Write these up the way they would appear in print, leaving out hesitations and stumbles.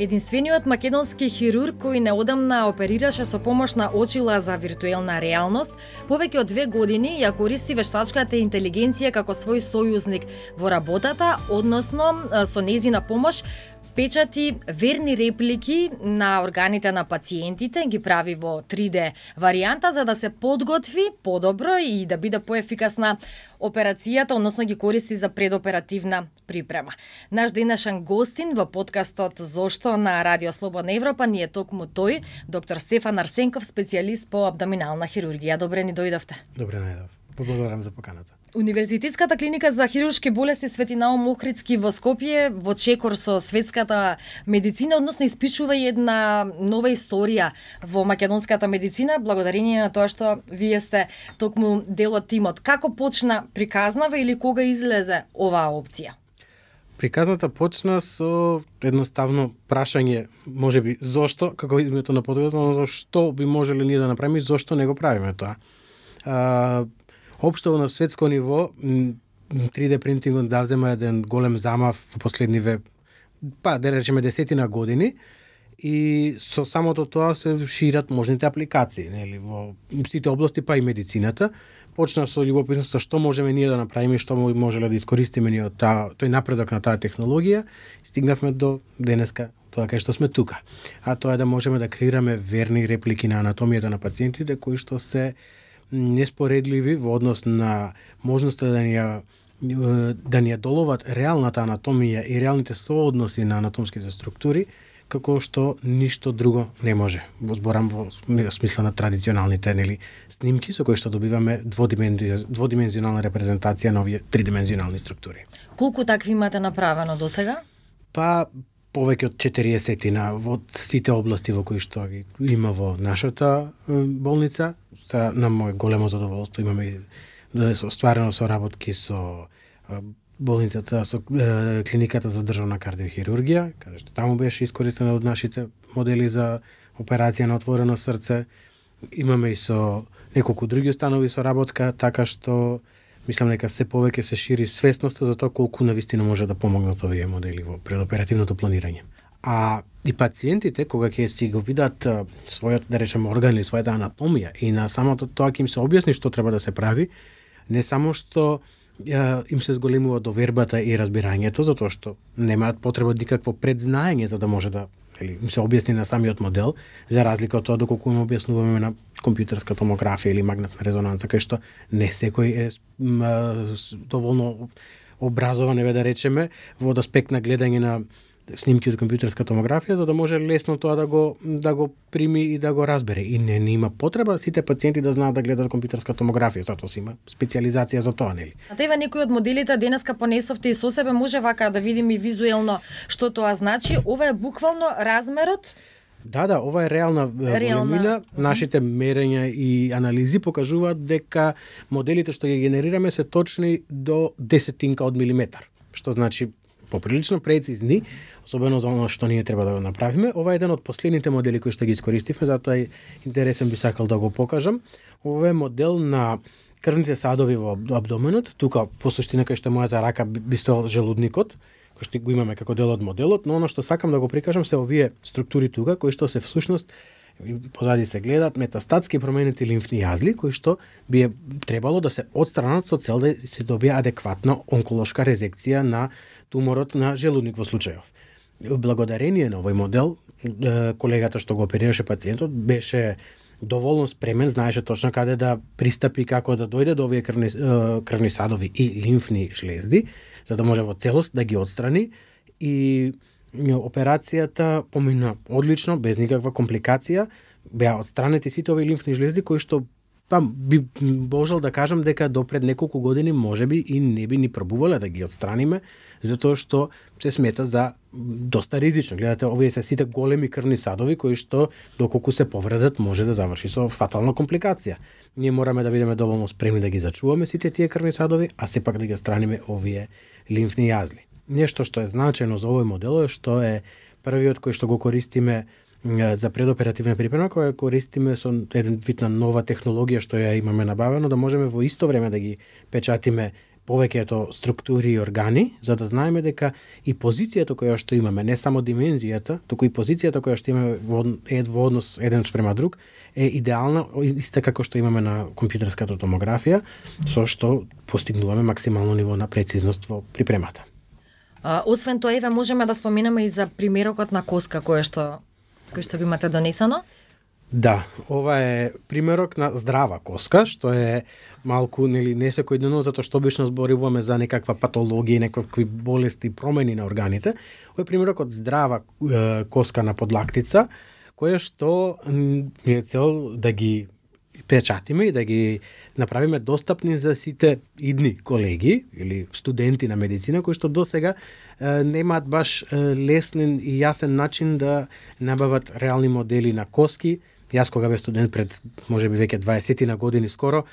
Единствениот македонски хирург кој неодамна оперираше со помош на очила за виртуелна реалност, повеќе од 2 години ја користи вештачката интелигенција како свој сојузник во работата, односно со нејзина помош печати верни реплики на органите на пациентите, ги прави во 3D варијанта за да се подготви подобро и да биде поефикасна операцијата, односно ги користи за предоперативна припрема. Наш денешен гостин во подкастот Зошто на Радио Слободна Европа ни е токму тој, доктор Стефан Арсенков, специјалист по абдоминална хирургија. Добре ни дојдовте. Добре најдов. Благодарам за поканата. Универзитетската клиника за хируршки болести Свети Наум Охридски во Скопје во чекор со светската медицина, односно испишува една нова историја во македонската медицина, благодарение на тоа што вие сте токму дел од тимот. Како почна приказнава или кога излезе оваа опција? Приказната почна со едноставно прашање, можеби зошто, како името на подкастот, но што би можеле ние да направиме и зошто не го правиме тоа. Општо на светско ниво 3D принтингот да взема еден голем замав во последниве, да речеме, 10 години, и со самото тоа се шират можните апликации, нели, во сите области, па и медицината. Почна со љубопитноста што можеме ние да направиме, што можеле да искористиме ние од тој напредок на таа технологија, и стигнавме до денеска тоа кај што сме тука. А тоа е да можеме да креираме верни реплики на анатомијата на пациентите кои што се неспоредливи во однос на можноста да ни ја доловат реалната анатомија и реалните соодноси на анатомските структури, како што ништо друго не може. Зборам во смисла на традиционалните, нели, снимки со кои што добиваме дводимензионална репрезентација на овие тридимензионални структури. Колку такви имате направено досега? Па повеќе од 40 во сите области во кои што ги има во нашата болница. На моје големо задоволство имаме остварено соработки со болницата, со клиниката за државна кардиохирургија, каде што таму беше искористена од нашите модели за операција на отворено срце. Имаме и со неколку други установи соработка, така што мислам дека се повеќе се шири свесноста за тоа колку навистина може да помогнат овие модели во предоперативното планирање. А и пациентите, кога ќе си го видат својот, да речеме, орган или својата анатомија и на самото тоа ќе им се објасни што треба да се прави, не само што им се зголемува довербата и разбирањето, затоа што немаат потреба од никакво предзнаење за да може да им се објасни на самиот модел, за разлика од тоа доколку им објаснуваме на компјутерска томографија или магнетна резонанца, кај што не секој е доволно образован, да речеме, во аспект на гледање на снимки од компјутерска томографија, за да може лесно тоа да го прими и да го разбере. И не има потреба сите пациенти да знаат да гледат компјутерска томографија, затоа си има специјализација за тоа, нели? А тева некои од моделите денеска понесовте и со себе, може вака да видиме визуелно што тоа значи. Ова е буквално размерот? Да, ова е реална големина. Нашите мерења и анализи покажуваат дека моделите што ги генерираме се точни до десетинка од милиметар, што значи поприлично прецизни, особено за оно што ние треба да го направиме. Ова е еден од последните модели кои што ги искористивме, затоа е интересен, би сакал да го покажам. Ова е модел на крвните садови во абдоменот. Тука во суштина кај што мојата рака би стоел желудникот, кој што го имаме како дел од моделот, но оно што сакам да го прикажам се овие структури тука, кои што се всушност позади се гледат метастатски променети лимфни јазли, кои што би требало да се отстранат со цел да се добие адекватна онколошка резекција на туморот на желудник во случајов. Благодарение на овој модел, колегата што го оперираше пациентот беше доволно спремен, знаеше точно каде да пристапи, како да дојде до овие крвни садови и лимфни шлезди, за да може во целост да ги отстрани, и операцијата помина одлично, без никаква компликација. Беа отстранети сите овие лимфни шлезди кои што би можел да кажам дека до пред неколку години можеби и не би ни пробувале да ги отстраниме, затоа што се смета за доста ризично. Гледате, овие се сите големи крвни садови кои што доколку се повредат може да заврши со фатална компликација. Ние мораме да бидеме доволно спремни да ги зачуваме сите тие крвни садови, а сепак да ги отстраниме овие лимфни јазли. Нешто што е значено за овој модел е што е првиот кој што го користиме за предоперативна припрема, која користиме со еден вид на нова технологија што ја имаме набавено, да можеме во исто време да ги печатиме повеќето структури и органи, за да знаеме дека и позицијата која што имаме, не само димензијата, туку и позицијата која што имаме во однос еден спрема друг, е идеална, иста како што имаме на компјутерската томографија, со што постигнуваме максимално ниво на прецизност во припремата. Освен тоа, еве можеме да споменеме и за примерокот на коска кој што го имате донесено. Да, ова е примерок на здрава коска, што е малку нели не секојдневно, затоа што обично зборуваме за некаква патологија, некакви болести, промени на органите. Ова е примерок од здрава коска на подлактица, која што е цел да ги печатиме и да ги направиме достапни за сите идни колеги или студенти на медицина кои што досега немаат баш лесен и јасен начин да набават реални модели на коски. Јас кога бев студент пред можеби веќе 20 на години скоро,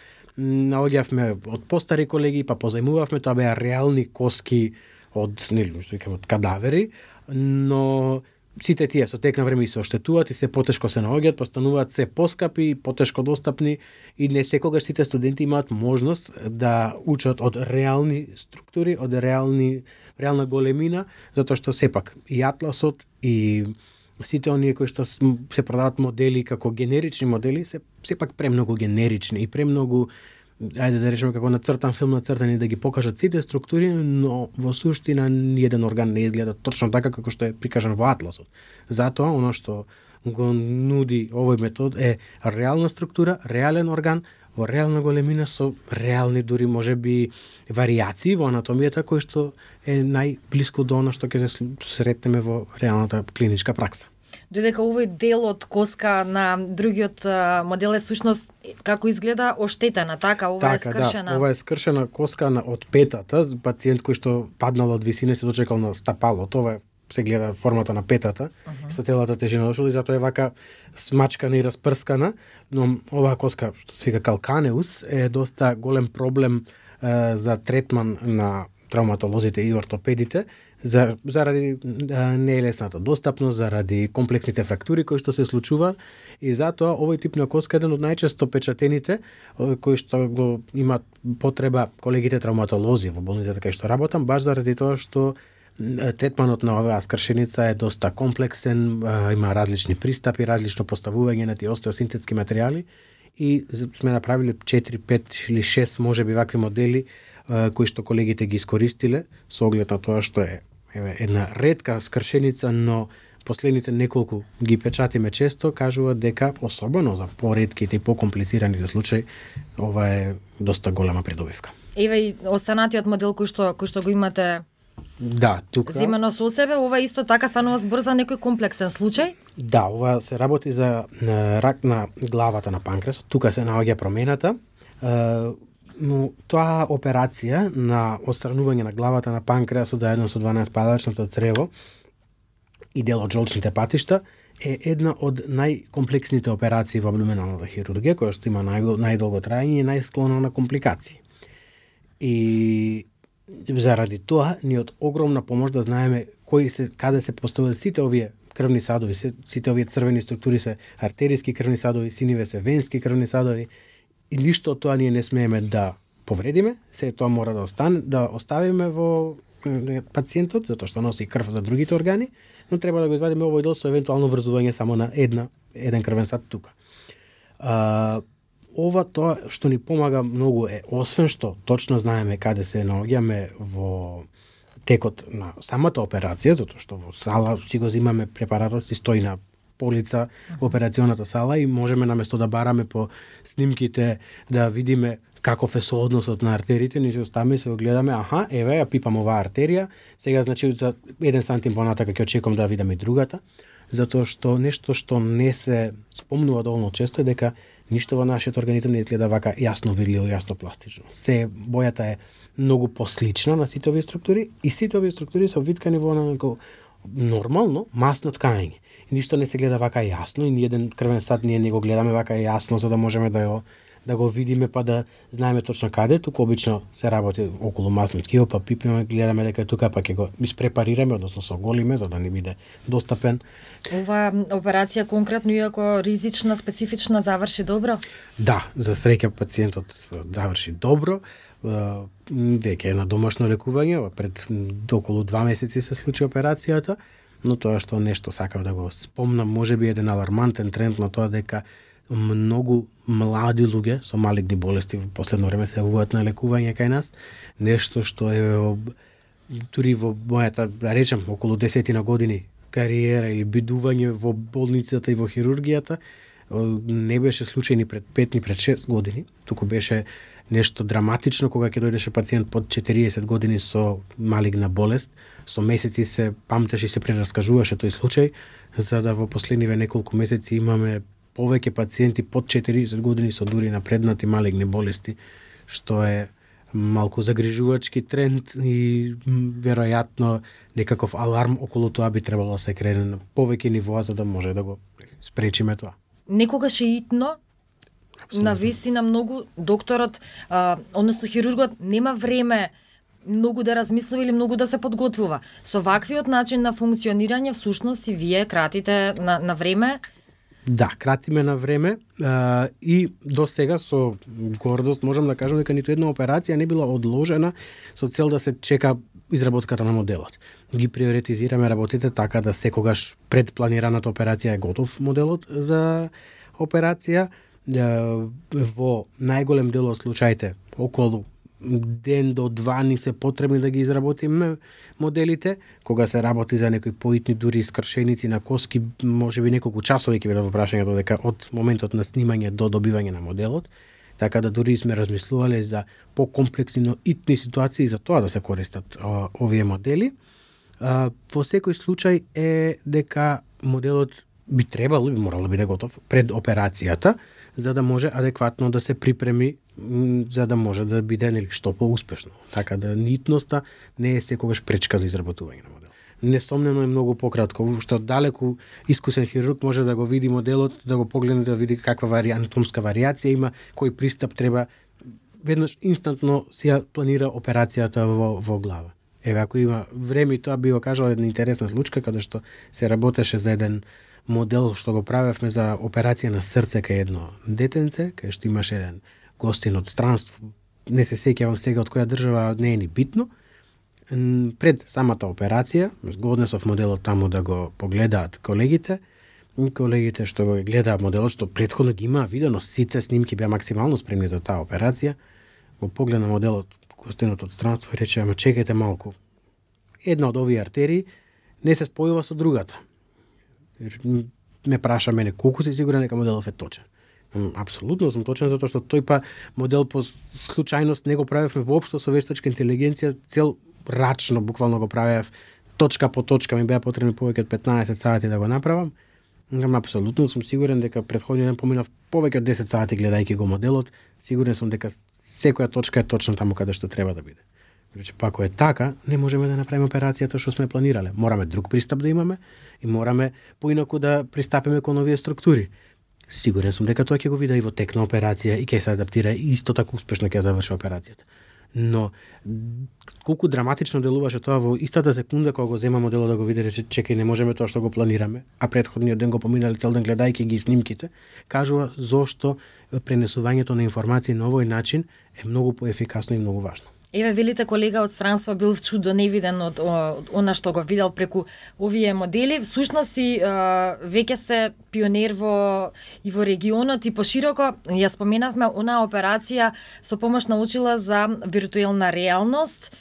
наоѓавме од постари колеги, па позајмувавме, тоа беа реални коски од, нели, што викаме, од кадавери, но сите тие со тек на време и се оштетуваат и се потешко се наоѓаат, постануваат се поскапи, потешко достапни и не секогаш сите студенти имаат можност да учат од реални структури, од реална големина, затоа што сепак и атласот и сите оние кои што се продаваат модели како генерични модели се сепак премногу генерични и премногу, ајде да речеме како нацртан филм нацртани да ги покажат сите структури, но во суштина ниеден орган не изгледа точно така како што е прикажан во атласот. Затоа оно што го нуди овој метод е реална структура, реален орган во реална големина со реални дури можеби варијации во анатомијата кои што е најблиску до оно што ќе се сретнеме во реалната клиничка пракса. Додека овој дел од коска на другиот модел е сушност како изгледа оштетена, така? Ова е скршена. Да, ова е скршена коска од петата, пациент кој што паднал од висина се дочекал на стапалот. Ова се гледа формата на петата, со целата тежина дошол и затоа е вака смачкана и распрскана, но оваа коска, што се вика калканеус, е доста голем проблем за третман на травматолозите и ортопедите, заради неелесната достапност, заради комплексните фрактури кои што се случуваат и затоа овој тип на коска е еден од најчесто печатените кои што го имаат потреба колегите травматолози во болницата кај што работам, баш заради тоа што третманот на оваа скршеница е доста комплексен, има различни пристапи, различно поставување на тие остеосинтетски материјали и сме направиле 4, 5 или 6 можеби вакви модели кои што колегите ги искористиле со оглед на тоа што е една ретка скршеница, но последните неколку ги печатиме често, кажуваат дека особено за поретките и покомплицираните случаи ова е доста голема придобивка. Еве и останатиот модел кој што го имате. Да, тука Земено со себе, ова исто така станува збор за некој комплексен случај? Да, ова се работи за рак на главата на панкреасот. Тука се наоѓа промената. Но тоа операција на отстранување на главата на панкреасот заедно со 12-падачното црево и дел од жолчните патишта е една од најкомплексните операции во абдоминалната хирургија, која што има најдолго траење и најсклона на компликации. И заради тоа ни од огромна помош да знаеме каде се поставуваат сите овие крвни садови, сите овие црвени структури се артериски крвни садови, синиве се венски крвни садови. И ништо од тоа ние не смееме да повредиме, се тоа мора да оставиме во пациентот, затоа што носи крв за другите органи, но треба да го извадиме овој дел со евентуално врзување само на еден крвен сад тука. Ова тоа што ни помага многу е, освен што точно знаеме каде се наоѓаме во текот на самата операција, затоа што во сала си го земаме препаратот, си стои на полица во операционата сала и можеме наместо да бараме по снимките да видиме каков е соодносот на артериите, ние се оставаме и се гледаме, еве, ја пипам оваа артерија, сега значи за 1 сантим понатака ќе очекувам да видам и другата, затоа што нешто што не се спомнува доволно често е дека ништо во нашиот организам не изгледа вака јасно видливо, јасно пластично. Бојата е многу послична на сите овие структури и сите овие структури се овиткани во нормално масно ткање. Ништо не се гледа вака јасно и ниеден крвен сад ние не го гледаме вака јасно за да можеме да го видиме па да знаеме точно каде, туку обично се работи околу масно ткиво, па пипнеме, гледаме дека тука па ќе го испрепарираме, односно соголиме за да не биде достапен. Ова операција конкретно иако ризична, специфична, заврши добро? Да, за среќа пациентот заврши добро. веќе на домашно лекување, пред околу 2 месеци се случи операцијата, но тоа што нешто сакав да го спомнам, можеби еден алармантен тренд на тоа дека многу млади луѓе со малигни болести во последно време се јавуваат на лекување кај нас, нешто што е дури во мојата, да речем, околу 10 години кариера или бидување во болницата и во хирургијата, не беше случај ни пред 5 ни пред 6 години, туку беше нешто драматично кога ќе дојдеше пациент под 40 години со малигна болест, со месеци се памтеше и се прераскажуваше тој случај, за да во последниве неколку месеци имаме повеќе пациенти под 40 години со дури напреднати малигни болести, што е малку загрижувачки тренд и веројатно некаков аларм околу тоа би требало да се крене на повеќе нивоа за да може да го спречиме тоа. Некогаш е итно, навистина многу докторот, односно хирургот нема време многу да размислува или многу да се подготвува. Со ваквиот начин на функционирање всушност и вие кратите на време. Да, кратиме на време и до сега со гордост можам да кажам дека ниту една операција не била одложена со цел да се чека изработката на моделот. Ги приоритизираме работите така да секогаш пред планираната операција е готов моделот за операција. Во најголем дел од случаите околу ден до 2 ни се потребни да ги изработиме моделите, кога се работи за некои поитни дури скршеници на коски, можеби неколку часови ќе бидат во прашањето дека од моментот на снимање до добивање на моделот, така да дури сме размислувале за покомплексни, но итни ситуации за тоа да се користат овие модели. Во секој случај е дека моделот би морал да биде готов пред операцијата, за да може адекватно да се припреми, за да може да биде што поуспешно. Така да нитноста не е секогаш пречка за изработување на модел. Несомнено е многу пократко, што далеку искусен хирург може да го види моделот, да го погледне, да види каква анатомска варијација има, кој пристап треба, веднаш инстантно си ја планира операцијата во глава. Еве, ако има време, тоа би го кажала една интересна случка, каде што се работеше за еден модел што го правевме за операција на срце кај едно детенце, кај што имаше еден гостин од странство, не се сеќавам сега од која држава, не е ни битно. Пред самата операција, го однесов моделот таму да го погледаат колегите, и колегите што го гледаат моделот, што претходно ги има видено, сите снимки беа максимално спремни за таа операција, го погледна моделот, гостинот од странство и рече, ама чекајте малку, една од овие артерии не се спојува со другата. Ме праша мене колку си сигурен дека моделот е точен. Апсолутно сум точен, затоа што тој па модел по случајност не го правевме воопшто со вештачка интелигенција, цел рачно буквално го правев, точка по точка, ми беа потребни повеќе од 15 сати да го направам. Апсолутно сум сигурен дека претходниот ден поминав повеќе од 10 сати гледајќи го моделот, сигурен сум дека секоја точка е точно таму каде што треба да биде. Значи, па ако е така, не можеме да направиме операцијата што сме планирале. Мораме друг пристап да имаме и мораме поинаку да пристапиме кон овие структури. Сигурен сум дека тоа ќе го види и во тек на операција и ќе се адаптира и исто така успешно ќе заврши операцијата. Но колку драматично делуваше тоа во истата секунда кога го зема моделот да го види, рече чекај, не можеме тоа што го планираме, а претходниот ден го поминали цел ден гледајќи ги снимките, кажува зошто пренесувањето на информации на овој начин е многу поефикасно и многу важно. Еве, велите колега од странство бил чудо невиден од она што го видел преку овие модели. Всушност и веќе сте пионер и во регионот и пошироко. Ја споменавме она операција со помош на очила за виртуелна реалност.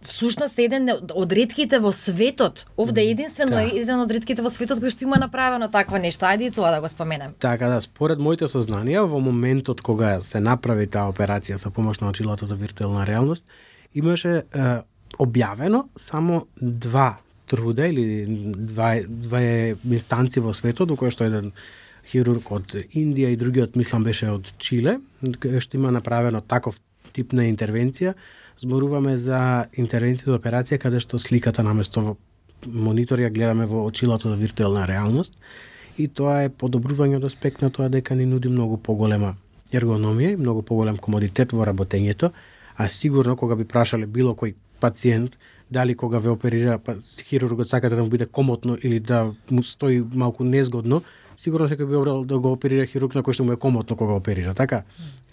Всушност еден од ретките во светот, овде е единствено еден од ретките во светот кој што има направено такво нешто. Ајде и тоа да го споменем. Така да, според моите сознанија, во моментот кога се направи таа операција со помош на очилата за виртуелна реалност, имаше објавено само 2 труда или две инстанци во светот, во кој што еден хирург од Индија и другиот мислам беше од Чиле, што има направено таков тип на интервенција. Зборуваме за интервенција за операција каде што сликата наместо во монитор ја гледаме во очилото за виртуелна реалност и тоа е подобрување од аспект на тоа дека ни нуди многу поголема ергономија и многу поголем комодитет во работењето, а сигурно кога би прашале било кој пациент дали кога ве оперира хирургот сакате да му биде комотно или да му стои малку незгодно, сигурно секој би обрал да го оперира хирург на кој што му е комотно кога оперира, така?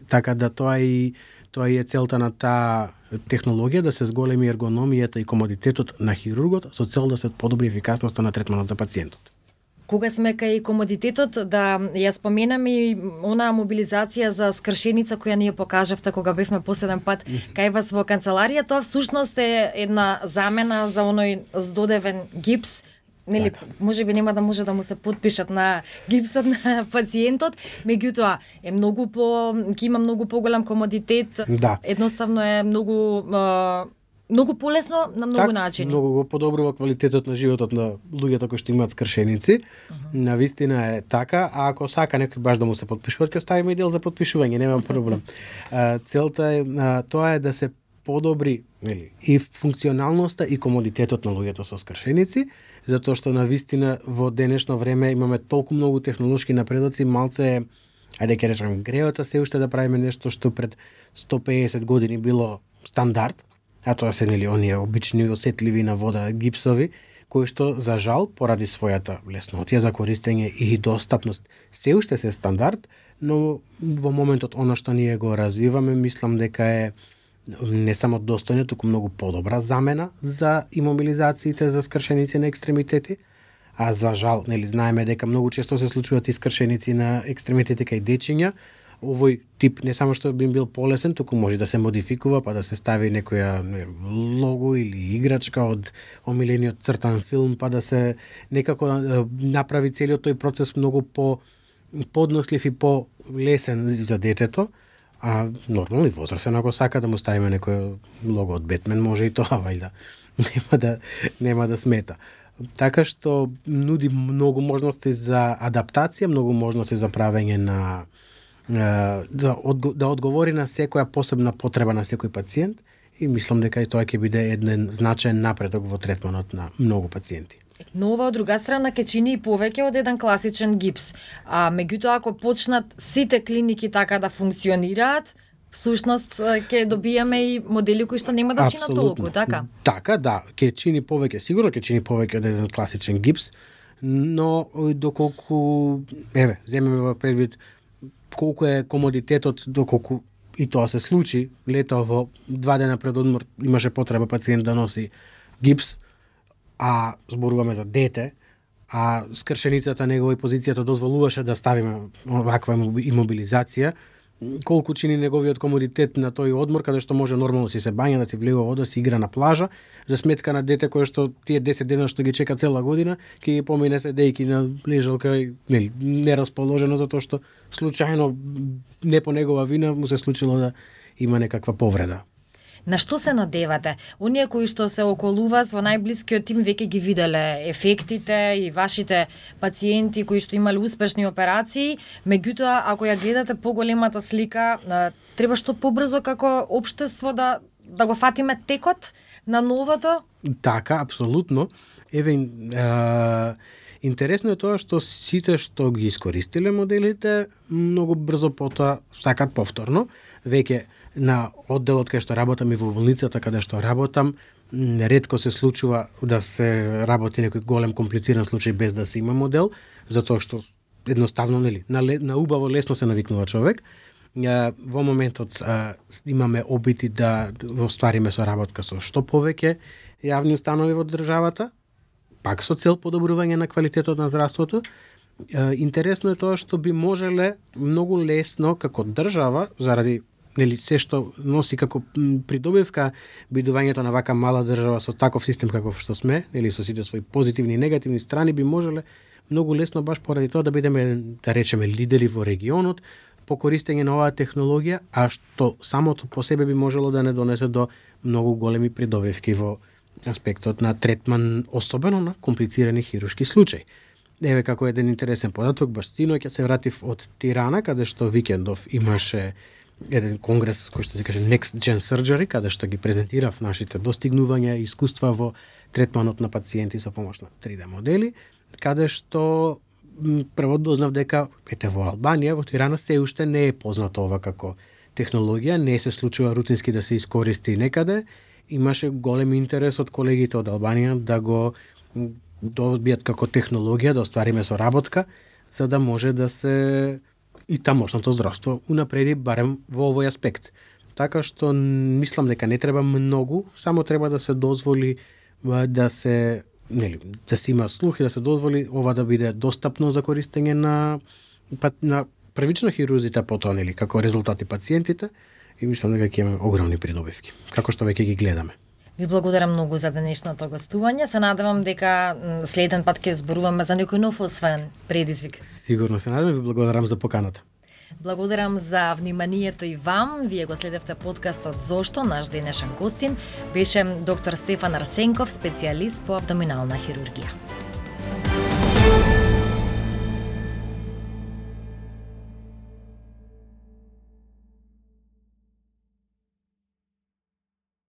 Така да тоа и Тоа е целта на таа технологија, да се зголеми ергономијата и комодитетот на хирургот со цел да се подобри ефикасноста на третманот за пациентот. Кога сме кај комодитетот, да ја споменам и онаа мобилизација за скршеница која ние покажавте кога бевме последен пат кај вас во канцеларија, тоа всушност е една замена за оној здодевен гипс. Нели, можеби нема да може да му се потпишат на гипсот на пациентот, меѓутоа е многу ќе има многу поголем комодитет. Да. Едноставно е многу полесно на многу начини. Многу го подобрува квалитетот на животот на луѓето кои што имаат скршеници. Навистина е така, а ако сака некој баш да му се потпишува, ќе оставиме и дел за потпишување, нема проблем. Целта е тоа е да се подобри, нели, и функционалноста и комодитетот на луѓето со скршеници, затоа што навистина во денешно време имаме толку многу технолошки напредоци, малце ајде ќе речам греота се уште да правиме нешто што пред 150 години било стандард, а тоа се нели оние обични осетливи на вода гипсови, кои што за жал поради својата леснотија за користење и достапност се уште се стандард, но во моментот она што ние го развиваме, мислам дека е не само достојна, туку многу подобра замена за имобилизациите за скршеници на екстремитети, а за жал, нели знаеме дека многу често се случуваат и скршеници на екстремитети кај дечиња. Овој тип не само што би бил полесен, туку може да се модификува, па да се стави некоја лого или играчка од омилениот цртан филм, па да се некако направи целиот тој процес многу поднослив и полесен за детето. А нормално и возрастен, ако сака да му ставиме некој лого од Бетмен, може и тоа, вајда. Нема да смета. Така што нуди многу можности за адаптација, многу можности за правење на да одговори на секоја посебна потреба на секој пациент, и мислам дека и тоа ќе биде еден значаен напредок во третманот на многу пациенти. Но ова од друга страна ќе чини и повеќе од еден класичен гипс. А меѓутоа ако почнат сите клиники така да функционираат, всушност ќе добиеме и модели кои што нема да чинат толку, така? Така, да, ќе чини повеќе, сигурно ќе чини повеќе од еден класичен гипс, но доколку земеме во предвид колку е комодитетот, доколку и тоа се случи, лето во 2 дена пред одмор имаше потреба пациент да носи гипс, а зборуваме за дете, а скршеницата негова и позицијата дозволуваше да ставиме ваква имобилизација, колку чини неговиот комодитет на тој одмор, каде што може нормално си се бања, да си влегува вода, си игра на плажа, за сметка на дете кое што тие 10 дена што ги чека цела година, ќе ги помине седејки на лежалка нерасположено, затоа што случајно, не по негова вина, му се случило да има некаква повреда. На што се надевате? Оние кои што се околу вас во најблискиот тим веќе ги виделе ефектите и вашите пациенти кои што имале успешни операции, меѓутоа ако ја гледате поголемата слика, треба што побрзо како општество да го фатиме текот на новото? Така, апсолутно. Интересно е тоа што сите што ги искористиле моделите многу брзо потоа сакат повторно. Веќе на одделот кај што работам и во болницата каде што работам, ретко се случува да се работи некој голем комплициран случај без да се има модел, затоа што едноставно на убаво лесно се навикнува човек. Во моментот имаме обити да оствариме соработка со што повеќе јавни установи во државата, пак со цел подобрување на квалитетот на здравството. Интересно е тоа што би можеле многу лесно како држава, заради се што носи како придобивка бидувањето на вака мала држава со таков систем каков што сме, со сите своји позитивни и негативни страни, би можеле многу лесно баш поради тоа да бидеме, да речеме, лидери во регионот по користење на оваа технологија, а што самото по себе би можело да не донесе до многу големи придобивки во аспектот на третман, особено на комплицирани хируршки случаи. Еве како еден интересен податок, баш синоќа се вратив од Тирана, каде што викендов имаше еден конгрес кој што се каже Next Gen Surgery, каде што ги презентирав нашите достигнувања и искуства во третманот на пациенти со помош на 3D модели, каде што прво дознав дека во Албанија, во Тирана се уште не е познато ова како технологија, не се случува рутински да се искористи некаде. Имаше голем интерес од колегите од Албанија да го добијат како технологија, да оствариме соработка, за да може да се и тамошното здравство унапреди барем во овој аспект. така што мислам дека не треба многу, само треба да се дозволи да се има слух и да се дозволи ова да биде достапно за користење на првично хирурзите, потоа како резултати пациентите, и мислам дека ќе имаме огромни придобивки, како што веќе ги гледаме. Ви благодарам многу за денешното гостување. Се надевам дека следен пат ќе зборуваме за некој нов освоен предизвик. Сигурно се надевам, ви благодарам за поканата. Благодарам за вниманието и вам. Вие го следевте подкастот Зошто. Наш денешен гостин беше доктор Стефан Арсенков, специјалист по абдоминална хирургија.